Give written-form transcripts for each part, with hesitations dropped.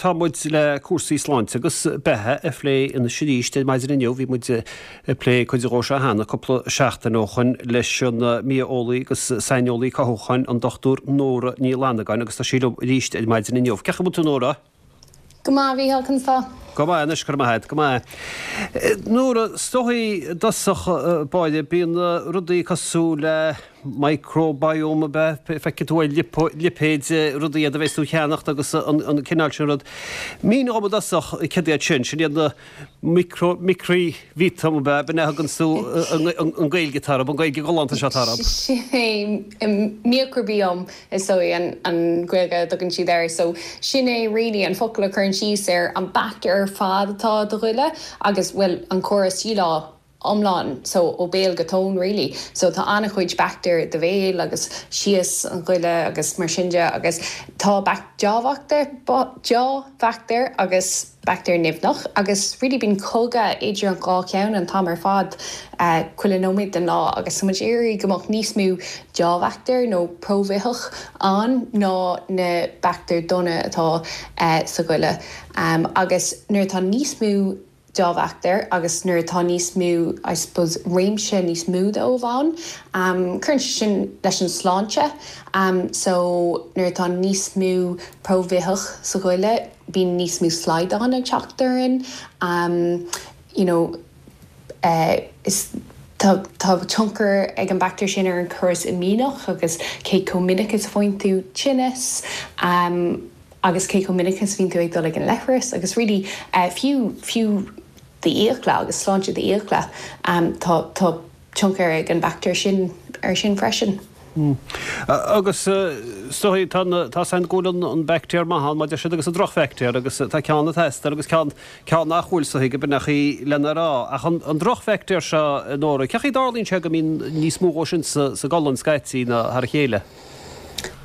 Tá muid le cúrsaí sláinte agus beatha a phlé anois arís ar maidin inniu. Bhí muid ag plé cuid dhó seo cheana cúpla seachtain ó shoin leis an mbia-eolaí agus saineolaí cothúcháin an Dr Nóra Ní Fhlannagáin agus tá sí liom arís ar maidin inniu. Cén chaoi a bhfuil tú Nóra? Go maith, a Mhícheáil, conas tá? Go maith anois, go raibh maith agat, go maith. Nóra, is dóigh i dtosach báire, bíonn rudaí cosúil le microbiome ab ea? Feicfidh tú ar lipéid rudaí iad a bheas tú a cheannacht agus an cineál sin rud. Mínigh dhom i dtosach céard iad sin, sin iad na micro, micribhiotóm ab ea, b'in é a thugann tú an Ghaeilge atá orthu, an Ghaeilge ghalánta seo atá orthu. Sin é, miocrabióm is dóigh an Ghaeilge a dtugann siad air. So sin é really an focal a chuireann síos ar an baictéar ar fad atá i do ghoile agus, bhuel, an córas díleá iomlán, so ó béal go tóin really. So tá an-chuid baictéar i do bhéal agus síos an ghoile agus mar sin de agus tá dea-bhaictéar, dea-bhaictéar agus baictéar nimhneach agus really bíonn cogadh idir an dhá cheann an t-am ar fad, chuile nóiméad den lá agus tá muid ag iarraidh go mbeadh níos mó dea-bhaictéar nó próibhitheach ann ná na baictéir dona atá sa ghoile agus nuair atá níos mó dea-bhaictéar agus nuair atá níos mó, I suppose, réimse níos mó dóibh ann, cuireann sé sin leis an sláinte. So nuair atá níos mó próibhitheach sa ghoile, bíonn níos mó slaghdán ag teacht orainn, you know, is tá tá tionchar ag an baictéar sin ar an córas imdhíonach agus cé chomh minic is a bhfaigheann tú tinneas. Agus cé chomh minic is a bhíonn tú ag dul ag an leithreas agus really fiú, fiú d'fhiacla agus sláinte d'fhiacla, tá, tá tionchar ag an baictéar sin ar sin freisin. Agus is dóigh tá na, tá 's againn go bhfuil an baictéar maith ann mar a deir siad agus an drochbhaictéar agus tá ceann ag teastáil agus ceann, ceann nach bhfuil is dóigh gurb in é an chaoi lena rá. Ach an, an drochbhaictéar seo, a Nóra, cén chaoi a dtarlaíonn sé go mbíonn níos mó dhó sin sa, sa gcolainn scaití ná thar a chéile?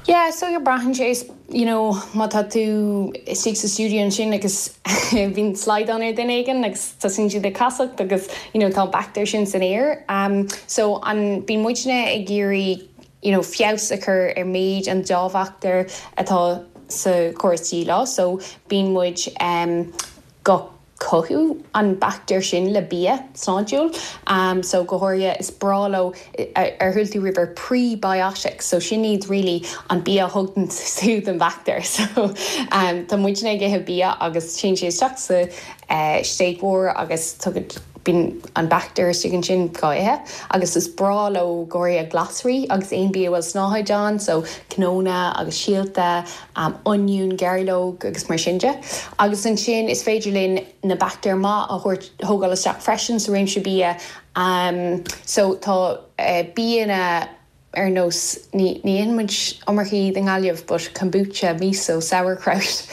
Yeah, so braitheann sé, you know, má tá tú istigh sa stiúideo ansin agus bíonn slaghdán ar duine éigin agus tosaíonn siad ag casacht agus, you know, tá an baictéar sin san aer. So an, bíonn muidne ag iarraidh, you know, feabhas a chur ar méid an dea-bhaictéir atá sa chóras díleá, so bíonn muid go cothú an baictéar sin le bia sláintiúil. So go háirithe is breá leo, ar chuala tú riamh ar prebiotics? So sin iad really an bia a thugann sú don bhaictéar. So tá muidne ag ithe bia agus téann sé isteach sa stéig mhór agus tugann, bíonn an baictéar istigh ansin dhá ithe. Agus is breá leo go háirithe glasraí agus aon bia a bhfuil snáthaid ann, so cnónna agus síolta, oinniún, gairleog agus mar sin de. Agus ansin is féidir linn na baictéir maith a thabhairt, thógáil isteach freisin sa réimse bia. So tá bianna ar nós, ní ní itheann muid iomarca iad i nGaillimh but kombucha, miso, sauerkraut,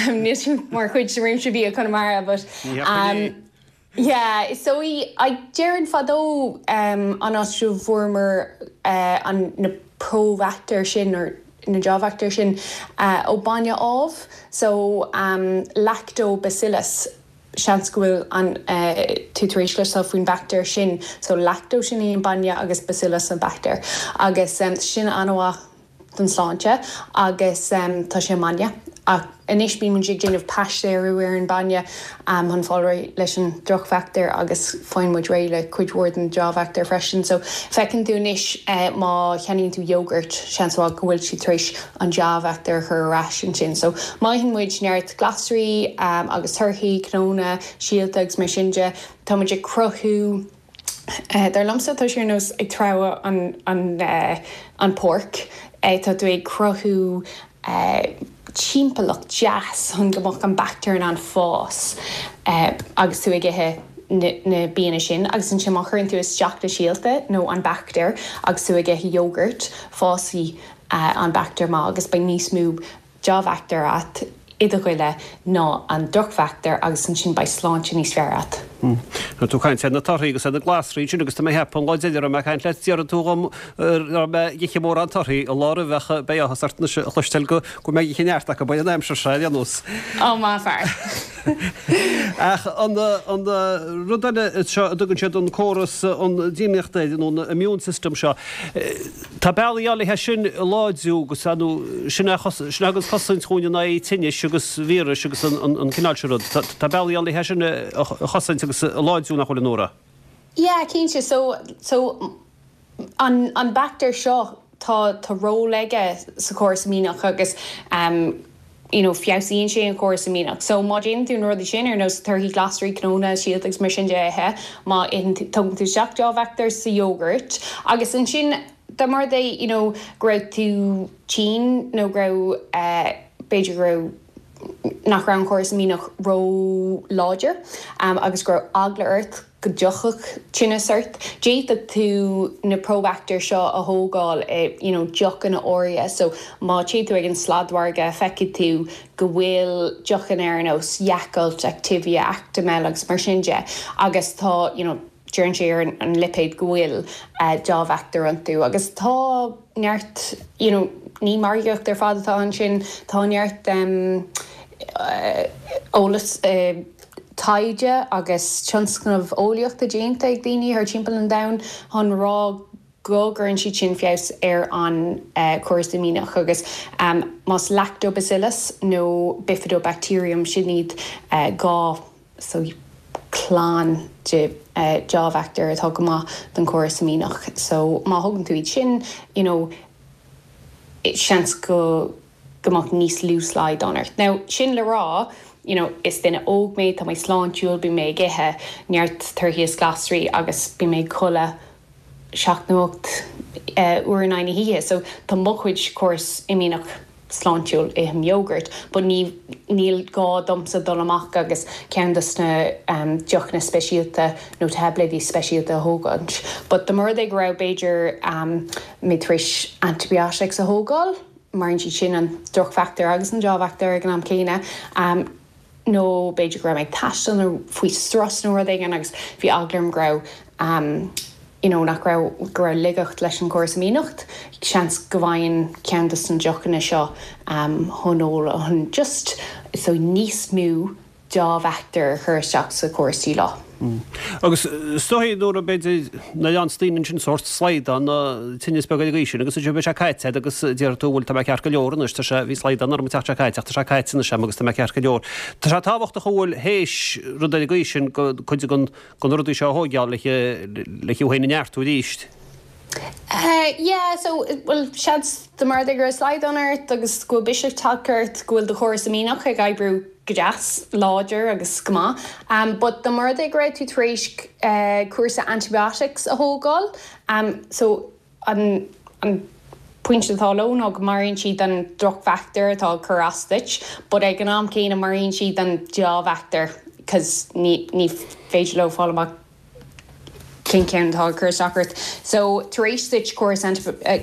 níl siad mar chuid de réimse bia Chonamara but. Ní thiocfaidh é. Yeah, is dóigh, I, déarfainn fadó an áit a bhfuaireamar an, na próbhaictéir sin or na dea-bhaictéir sin ó bainne amh, so lactobacillus, seans go bhfuil an, tú tar éis cloisteáil faoin bhaictéar sin, so lacto sin é an bainne agus bacillus an baictéar agus sin an-mhaith. don sláinte agus tá sé i mbainne. Ach anois bíonn muid ag déanamh paistéarú ar an bainne chun fáil réidh leis an drochbhaictéar agus faigheann muid réidh le cuid mhór den dea-bhaictéar freisin. So feiceann tú anois má cheannaíonn tú yogurt, seans mhaith go bhfuil siad tar éis an dea-bhaictéar a chur ar ais ansin. So má itheann muid neart glasraí agus torthaí, cnónna, síolta agus mar sin de, tá muid ag cruthú, Dar liomsa, tá sé ar nós ag treabhadh an pháirc. Tá tú ag cruthú timpeallacht deas chun go mbeadh an baictéar in ann fás agus tú ag ithe na bianna sin. Agus ansin má chuireann tú isteach na síolta nó an baictéar agus tú ag ithe yogurt, fásfaidh an baictéar maith agus beidh níos mó dea-bhaictéar agat i do ghoile ná an drochbhaictéar agus ansin beidh sláinte níos fearr agat. Tá tú ag caint ar na torthaí agus ar na glasraí ansin agus tá mé ag ceapadh an lá deireanach a raibh mé ag caint leat déarfaidh tú dhom raibh mé ag ithe mórán torthaí an lá roimhe ach beidh áthas ort anois a chloisteáil go bhfuil mé ag ithe neart acu an aimsir seo ar aon nós. Ó maith fear. Ach an rud eile seo a dtugann siad an córas an dímnaíochta air, nó an immune system seo, tá bealaí ann le é sin a láidriú agus nó sin a thugann cosaint dhúinn in aghaidh tinnis agus víris agus an cineál sin rud. Tá bealaí ann le é sin a chosaint agus a láidriú, nach bhfuil, a Nóra? Yeah, cinnte. So, so an, an baictéar seo, tá, tá ról aige sa chóras imdhíonach agus um you know feabhsaíonn sé an córas imdhíonach. So má déanann tú na rudaí sin ar nós torthaí, glasraí, cnónna, síolta agus mar sin de a ithe, má itheann tú, tógann tú isteach deá-bhaictéir sa yogurt agus ansin dá mba rud é you know go raibh tú tinn nó go raibh eh b'fhéidir go raibh nach raibh an córas imdhíonach ró-láidir agus go raibh eagla ort go dtiocfadh tinneas ort. D'fhéadfadh tú na próbhaictéir seo a thógáil i you know deochanna áirithe so má téann tú ag an sladmhargadh feicfidh tú go bhfuil deochanna ar nós Yakult, Activia, Actimel agus mar sin de agus tá you know deireann sé ar an lipéad go bhfuil deá-bhaictéir iontu agus tá neart you know ní margaíocht ar fad atá ansin, tá neart eolas, taighde agus tionscnamh eolaíochta déanta ag daoine thar timpeall an domhain chun rá go gcuireann siad sin feabhas ar an chóras imdhíonach agus más Lactobacillus nó Bifidobacterium sin iad 2 so clann de deá-bhaictéir atá go maith don chóras imdhíonach. So má thógann tú iad sin, you know, seans go go mbeadh níos lú slaghdán ort. Now, sin le rá, you know, is duine óg mé, tá mé sláintiúil, bíonn mé ag ithe neart torthaí is glasraí agus bíonn mé ag codladh 7 nó 8 uair in aghaidh na hoíche. So tá mo chuid córas imdhíonach sláintiúil, ithim yogurt, but ní, níl gá domsa dul amach agus ceann dos na deochanna speisialta nó taibléidí speisialta a thógaint. But dá mba rud é go raibh, b'fhéidir, mé tar éis antibiotics a thógáil, maraíonn siad sin an drochbhaictéar agus an deá-bhaictéar ag an am céanna, nó b'fhéidir go raibh mé ag taisteal nó faoi strus nó rud éigin agus bhí eagla orm go raibh you know nach raibh, go raibh laigeacht leis an gcóras imdhíonach, seans go bhfaighinn ceann dos na deochanna seo chun ól chun just so níos mó deá-bhaictéar a chur isteach sa chóras díleá. Agus is dóigh nuair a b'fhéidir na leanns daoine ansin sórt slaghdán nó tinneas beag ar an gcaoi sin agus ansin beidh sé caite agat agus déarfaidh tú bhuel tá mé ceart go leor anois tá sé bhí slaghdán orm an tseachtain seo caite ach tá sé caite anois agam agus tá mé ceart go leor. Tá sé tábhachtach an bhfuil théis rud ar an gcaoi sin go cuid den de na rudaí seo a thóigeáil le le thú féin a neartú arís. Yeah, so, bhuel, seans dá mba rud é go raibh slaghdán ort agus go bhfuil biseach tagtha ort, go bhfuil do chóras imdhíonach ag oibriú go deas, láidir agus go maith. But dá mba rud é go raibh tú tar éis cúrsa antibiotics a thógáil, so an, an pointe atá leo ná go maraíonn siad an drochbhaictéar atá ag cur as duit, but ag an am céanna maraíonn siad an deá-bhaictéar 'cause ní, ní féidir leo fáil amach cén ceann atá ag cur isteach ort. So, tar éis duit córas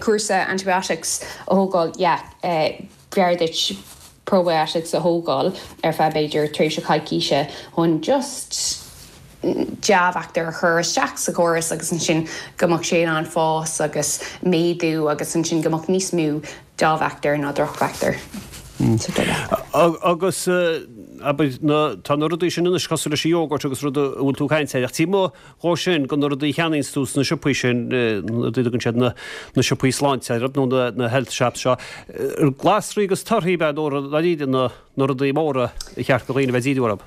cúrsa antibiotics a thógáil, yeah, b'fhearr duit probiotics a thógáil ar feadh b'fhéidir tréimhse coicíse chun just dea-bhaictéir a chur isteach sa chóras agus ansin go mbeadh sé in ann fás agus méadú agus ansin go mbeadh níos mó dea-bhaictéir ná drochbhaictéir sa duine. Agus, abair, na, tá na rudaí sin anois cosúil leis an yogurt agus rud a bhfuil tú ag caint air, ach taobh amuigh dhó sin, de na rudaí a cheannaíonns tú sna siopaí sin, na rudaí a dtugann siad na, na siopaí sláinte orthu nó na, na health shops seo, glasraí agus torthaí ab ea nó dáiríre na, na rudaí móra ar cheart do dhaoine a bheith ag díriú orthu.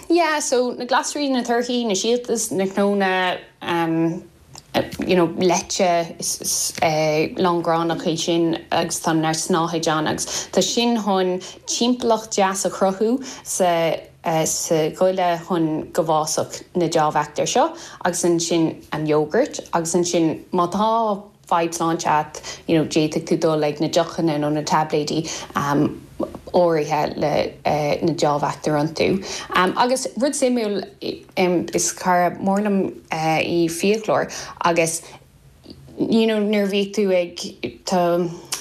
Yeah, so na glasraí, na torthaí, na síolta, na cnónna, um, you know leite is lángránach é sin agus tá neart snáthaid ann agus tá sin chun timpeallacht deas a chruthú sa sa ghoile chun go bhfásfadh na dea-bhaictéir seo agus ansin an yogurt agus ansin má tá fadhb sláinte agat you know d'fhéadfadh tú dul ag na deochanna nó na taibléidí áirithe le na dea-bhaictéir iontu. Agus rud suimiúil is cara mór liom í fiaclóir agus you know nuair a bhíodh tú ag tá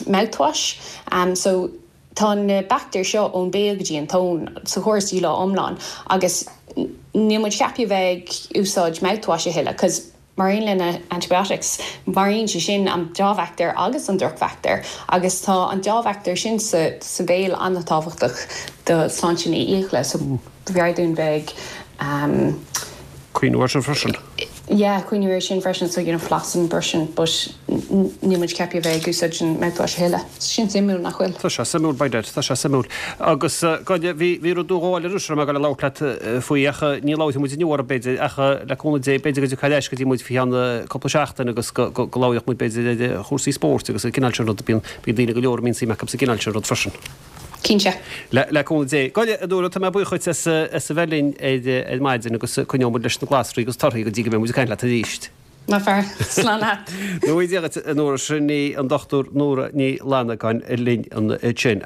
mouthwash so tá na baictéir seo ón béal go dtí an tóin sa chóras díleá iomlán agus níl muid ceaptha a bheith ag úsáid mouthwash a thuilleadh 'cause. Mar aon le na antibiotics, maraíonn sé sin an deá-bhaictéar agus an drochbhaictéar agus tá an deá-bhaictéar sin sa sa bhéal an-tábhachtach do sláinte na fhiacla so b'fhearr dúinn bheith ag Cuimhniú air sin freisin. Yeah, cuimhniú air sin freisin so you know flossing, brushing but níl muid ceaptha a bheith ag úsáid an mouthwash a thuilleadh. Sin suimiúil, nach bhfuil? Tá sé suimiúil, by dad, tá sé suimiúil. Agus, Gráinne, bhí, bhí rud nó dhó eile anois a raibh mé ag dul a labhairt leat faoi ach ní labharfaidh muid inniu orthu b'fhéidir ach le cúnamh Dé b'fhéidir go dtiocfaidh ar ais go dtí muid faoi cheann cúpla seachtain agus go, go, go labhróidh muid b'fhéidir ar chúrsaí spóirt agus an cineál sin rud, bíonn, bíonn daoine go leor a mbíonn suim acu sa gcineál sin rud freisin. Cinnte. Le, le cúnamh Dé. Gráinne, a Nóra, tá mé buíoch dhuit as, as a bheith linn ar, ar maidin agus coinneoidh muid leis na glasraí agus torthaí go dtí go mbeidh muid ag caint leat arís. Maith fear. Slán leat. Go ngnóthaí Dia dhuit, a Nóra. Sin í an Dr Nóra Ní Fhlannagáin linn ansin.